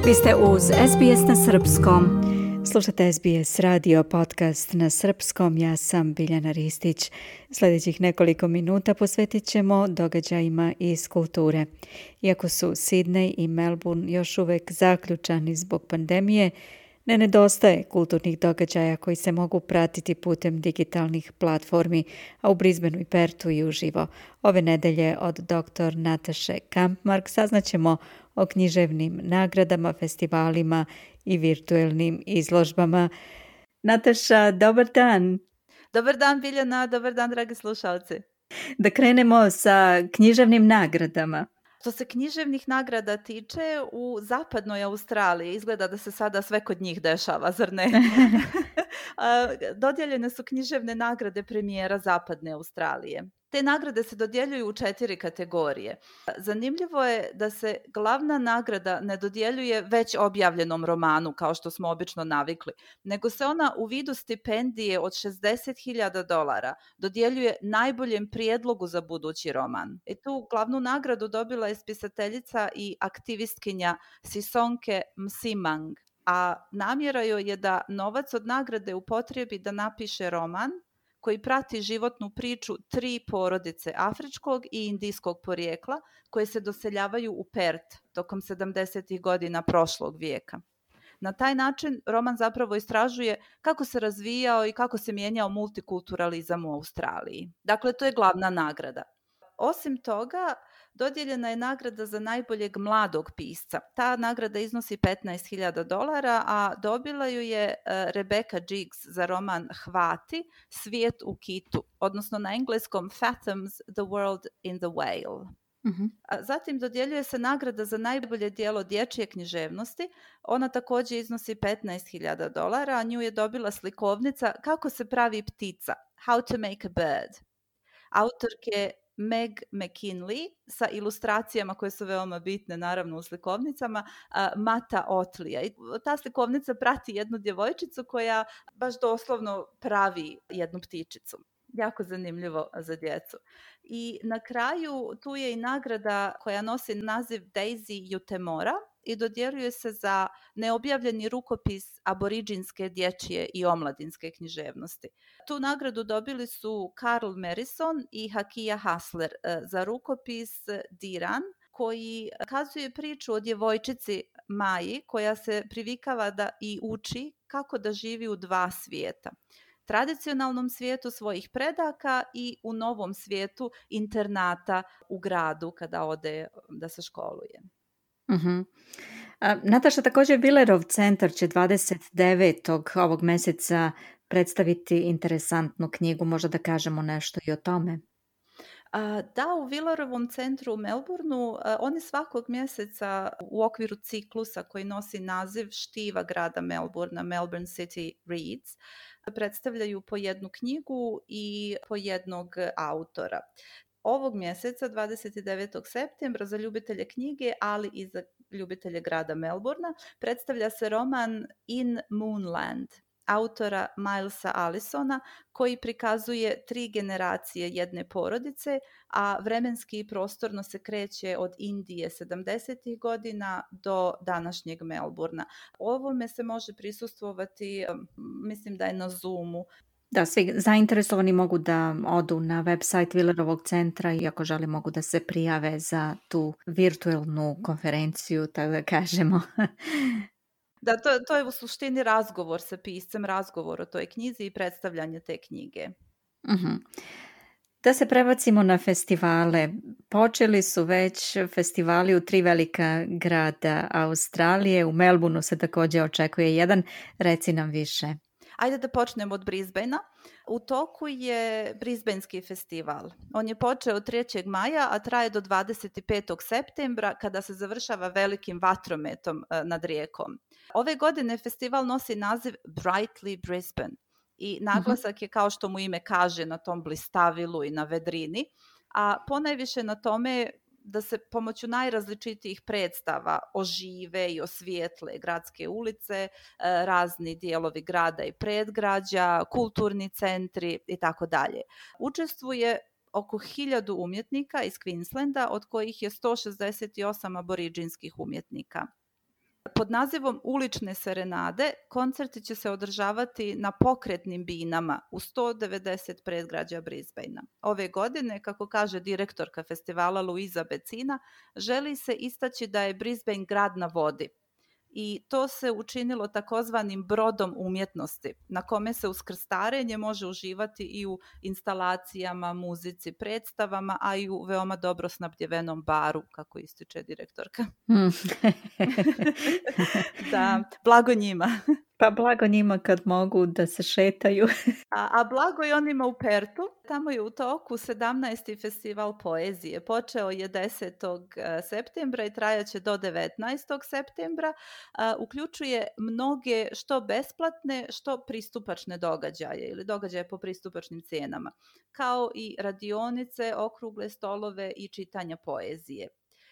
Vi ste uz SBS na srpskom. Slušate SBS radio podcast na srpskom. Ja sam Biljana Ristić. Sljedećih nekoliko minuta posvetit ćemo događajima iz kulture. Iako su Sydney i Melbourne još uvijek zaključani zbog pandemije, ne nedostaje kulturnih događaja koji se mogu pratiti putem digitalnih platformi, a u Brisbaneu i Perthu i uživo. Ove nedelje od dr. Nataše Kampmark saznaćemo o književnim nagradama, festivalima i virtuelnim izložbama. Nataša, dobar dan! Dobar dan, Biljana, dobar dan, dragi slušalci. Da krenemo sa književnim nagradama. Što se književnih nagrada tiče, u zapadnoj Australiji izgleda da se sada sve kod njih dešava, zar ne? Dodijeljene su književne nagrade premijera zapadne Australije. Te nagrade se dodjeljuju u 4 kategorije. Zanimljivo je da se glavna nagrada ne dodjeljuje već objavljenom romanu, kao što smo obično navikli, nego se ona u vidu stipendije od $60,000 dodjeljuje najboljem prijedlogu za budući roman. I tu glavnu nagradu dobila je spisateljica i aktivistkinja Sisonke Msimang, a namjera joj je da novac od nagrade upotrijebi da napiše roman koji prati životnu priču 3 porodice afričkog i indijskog porijekla koje se doseljavaju u Perth tokom 70. godina prošlog vijeka. Na taj način roman zapravo istražuje kako se razvijao i kako se mijenjao multikulturalizam u Australiji. Dakle, to je glavna nagrada. Osim toga, dodijeljena je nagrada za najboljeg mladog pisca. Ta nagrada iznosi $15,000, a dobila ju je Rebecca Jiggs za roman Hvati, Svijet u kitu, odnosno na engleskom Fathoms, The World in the Whale. Zatim dodjeljuje se nagrada za najbolje djelo dječje književnosti. Ona također iznosi $15,000, a nju je dobila slikovnica Kako se pravi ptica, How to make a bird. Autorke Meg McKinley sa ilustracijama koje su veoma bitne naravno u slikovnicama Mata Otlija. I ta slikovnica prati jednu djevojčicu koja baš doslovno pravi jednu ptičicu. Jako zanimljivo za djecu. I na kraju tu je i nagrada koja nosi naziv Daisy Jutemora i dodjeljuje se za neobjavljeni rukopis aboriđinske, dječje i omladinske književnosti. Tu nagradu dobili su Carl Merison i Hakia Hassler za rukopis Diran, koji kazuje priču o djevojčici Maji koja se privikava da i uči kako da živi u 2 svijeta. Tradicionalnom svijetu svojih predaka i u novom svijetu internata u gradu kada ode da se školuje. Nataša, također Villerov centar će 29. ovog mjeseca predstaviti interesantnu knjigu. Možda da kažemo nešto i o tome? Da, u Villerovom centru u Melbourneu oni svakog mjeseca u okviru ciklusa koji nosi naziv Štiva grada Melbournea, Melbourne City Reads, predstavljaju po jednu knjigu i po jednog autora. Ovog mjeseca, 29. septembra, za ljubitelje knjige, ali i za ljubitelje grada Melbournea, predstavlja se roman In Moonland autora Milesa Allisona, koji prikazuje 3 generacije jedne porodice, a vremenski i prostorno se kreće od Indije 70. godina do današnjeg Melbournea. Ovome se može prisustvovati, mislim da je na Zoomu. Da, svi zainteresovani mogu da odu na website Villerovog centra i ako žele mogu da se prijave za tu virtualnu konferenciju, tako da kažemo. Da, to je u suštini razgovor sa piscem, razgovor o toj knjizi i predstavljanje te knjige. Da se prebacimo na festivale. Počeli su već festivali u 3 velika grada Australije. U Melbourneu se također očekuje jedan. Reci nam više. Ajde da počnemo od Brisbanea. U toku je Brisbanski festival. On je počeo 3. maja, a traje do 25. septembra kada se završava velikim vatrometom nad rijekom. Ove godine festival nosi naziv Brightly Brisbane i naglasak je, kao što mu ime kaže, na tom blistavilu i na vedrini, a ponajviše na tome da se pomoću najrazličitijih predstava ožive i osvijetle gradske ulice, razni dijelovi grada i predgrađa, kulturni centri i tako dalje. Učestvuje oko 1000 umjetnika iz Queenslanda, od kojih je 168 aboriđinskih umjetnika. Pod nazivom Ulične serenade koncerti će se održavati na pokretnim binama u 190 predgrađa Brisbanea. Ove godine, kako kaže direktorka festivala Luisa Becina, želi se istaći da je Brisbane grad na vodi. I to se učinilo takozvanim brodom umjetnosti, na kome se uz krstarenje može uživati i u instalacijama, muzici, predstavama, a i u veoma dobro snabdjevenom baru, kako ističe direktorka. Da, blago njima. Pa blago njima kad mogu da se šetaju. A blago i onima u Pertu. Tamo je u toku 17. festival poezije. Počeo je 10. septembra i trajaće do 19. septembra. Uključuje mnoge što besplatne, što pristupačne događaje ili događaje po pristupačnim cijenama, kao i radionice, okrugle stolove i čitanja poezije.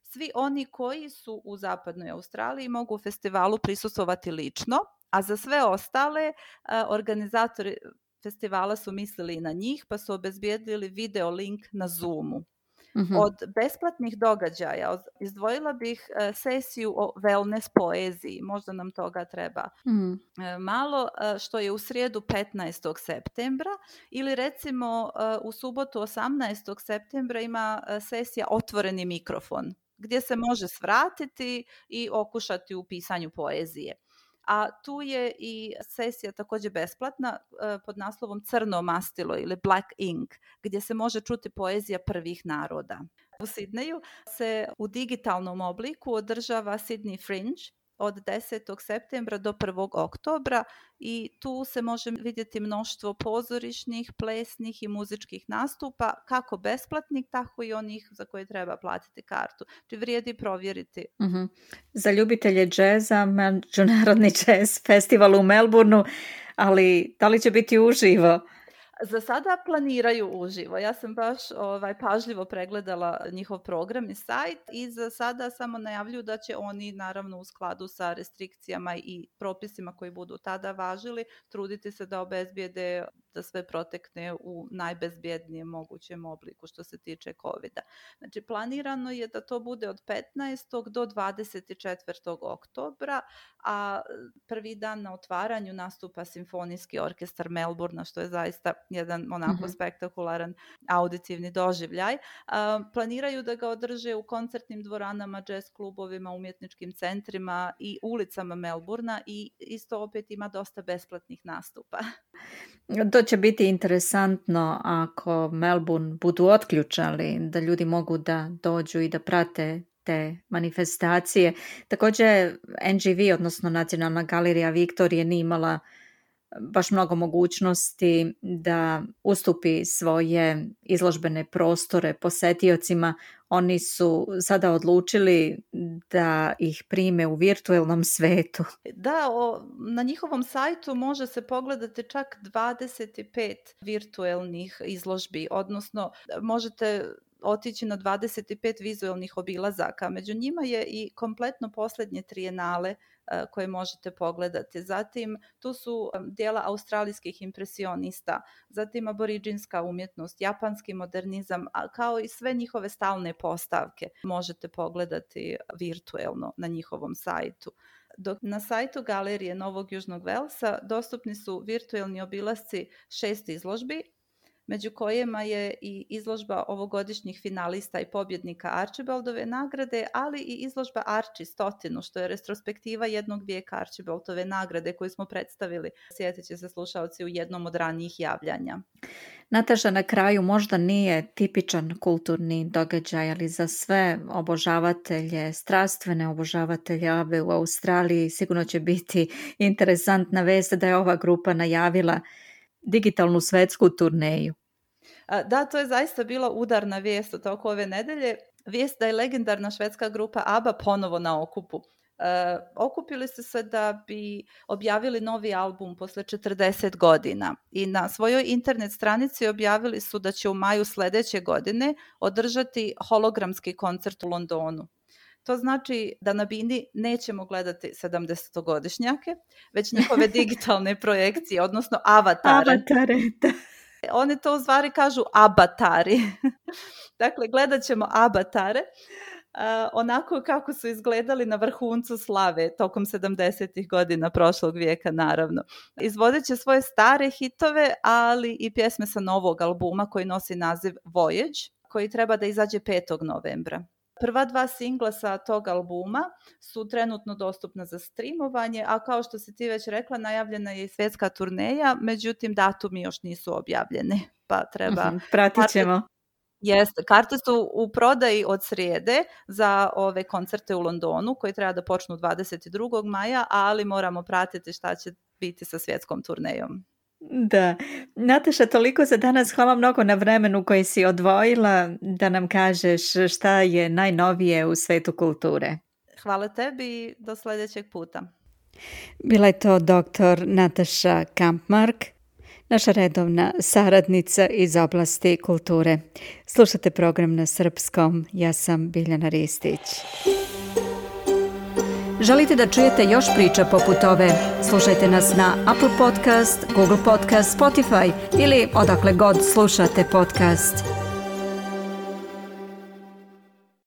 Svi oni koji su u zapadnoj Australiji mogu u festivalu prisustvovati lično, a za sve ostale organizatori festivala su mislili i na njih, pa su obezbijedili video link na Zoomu. Mm-hmm. Od besplatnih događaja izdvojila bih sesiju o wellness poeziji, možda nam toga treba malo, što je u srijedu 15. septembra, ili recimo u subotu 18. septembra ima sesija Otvoreni mikrofon, gdje se može svratiti i okušati u pisanju poezije. A tu je i sesija također besplatna pod naslovom Crno mastilo ili Black Ink, gdje se može čuti poezija prvih naroda. U Sidneju se u digitalnom obliku održava Sydney Fringe od 10. septembra do 1. oktobra i tu se može vidjeti mnoštvo pozorišnih, plesnih i muzičkih nastupa, kako besplatnih, tako i onih za koje treba platiti kartu. Či vrijedi provjeriti. Mm-hmm. Za ljubitelje džeza, Međunarodni jazz festival u Melbourneu, ali da li će biti uživo? Za sada planiraju uživo. Ja sam baš pažljivo pregledala njihov program i sajt i za sada samo najavljuju da će oni, naravno u skladu sa restrikcijama i propisima koji budu tada važili, truditi se da obezbijede da sve protekne u najbezbjednijem mogućem obliku što se tiče COVID-a. Znači, planirano je da to bude od 15. do 24. oktobra, a prvi dan na otvaranju nastupa Simfonijski orkestar Melbournea, što je zaista jedan onako spektakularan auditivni doživljaj. Planiraju da ga održe u koncertnim dvoranama, jazz klubovima, umjetničkim centrima i ulicama Melbournea i isto opet ima dosta besplatnih nastupa. To će biti interesantno ako Melbourne budu otključali, da ljudi mogu da dođu i da prate te manifestacije. Također NGV, odnosno Nacionalna galerija Viktorije, nije imala baš mnogo mogućnosti da ustupi svoje izložbene prostore posjetiocima. Oni su sada odlučili da ih prime u virtualnom svetu. Da, na njihovom sajtu može se pogledati čak 25 virtualnih izložbi, odnosno možete otići na 25 vizualnih obilazaka. Među njima je i kompletno posljednje trijenale koje možete pogledati. Zatim tu su dijela australijskih impresionista, zatim aboriđinska umjetnost, japanski modernizam, kao i sve njihove stalne postavke možete pogledati virtuelno na njihovom sajtu. Dok na sajtu Galerije Novog Južnog Velsa dostupni su virtualni obilasci 6 izložbi, među kojima je i izložba ovogodišnjih finalista i pobjednika Archibaldove nagrade, ali i izložba Archie 100, što je retrospektiva jednog vijeka Archibaldove nagrade koju smo predstavili, sjetit će se slušalci, u jednom od ranijih javljanja. Nataša, na kraju možda nije tipičan kulturni događaj, ali za sve obožavatelje, strastvene obožavatelje ABBE u Australiji sigurno će biti interesantna vest da je ova grupa najavila digitalnu svetsku turneju. Da, to je zaista bila udarna vijest u toku ove nedelje. Vijest da je legendarna švedska grupa ABBA ponovo na okupu. Okupili su se da bi objavili novi album posle 40 godina i na svojoj internet stranici objavili su da će u maju sljedeće godine održati hologramski koncert u Londonu. To znači da na bini nećemo gledati 70-godišnjake, već njihove digitalne projekcije, odnosno avatare. Avatare, da. Oni to u stvari kažu abatari. Dakle, gledat ćemo abatare. onako kako su izgledali na vrhuncu slave tokom 70. godina prošlog vijeka, naravno. Izvodeće svoje stare hitove, ali i pjesme sa novog albuma koji nosi naziv Voyage, koji treba da izađe 5. novembra. Prva 2 singla sa tog albuma su trenutno dostupna za streamovanje, a kao što si ti već rekla, najavljena je i svjetska turneja, međutim datumi još nisu objavljeni, pa treba... Pratit ćemo. Jeste, karte su u prodaji od srijede za ove koncerte u Londonu koji treba da počnu 22. maja, ali moramo pratiti šta će biti sa svjetskom turnejom. Da. Nataša, toliko za danas. Hvala mnogo na vremenu koji si odvojila da nam kažeš šta je najnovije u svetu kulture. Hvala tebi i do sljedećeg puta. Bila je to dr. Nataša Kampmark, naša redovna saradnica iz oblasti kulture. Slušate program na srpskom. Ja sam Biljana Ristić. Želite da čujete još priča poput ove? Slušajte nas na Apple Podcast, Google Podcast, Spotify ili odakle god slušate podcast.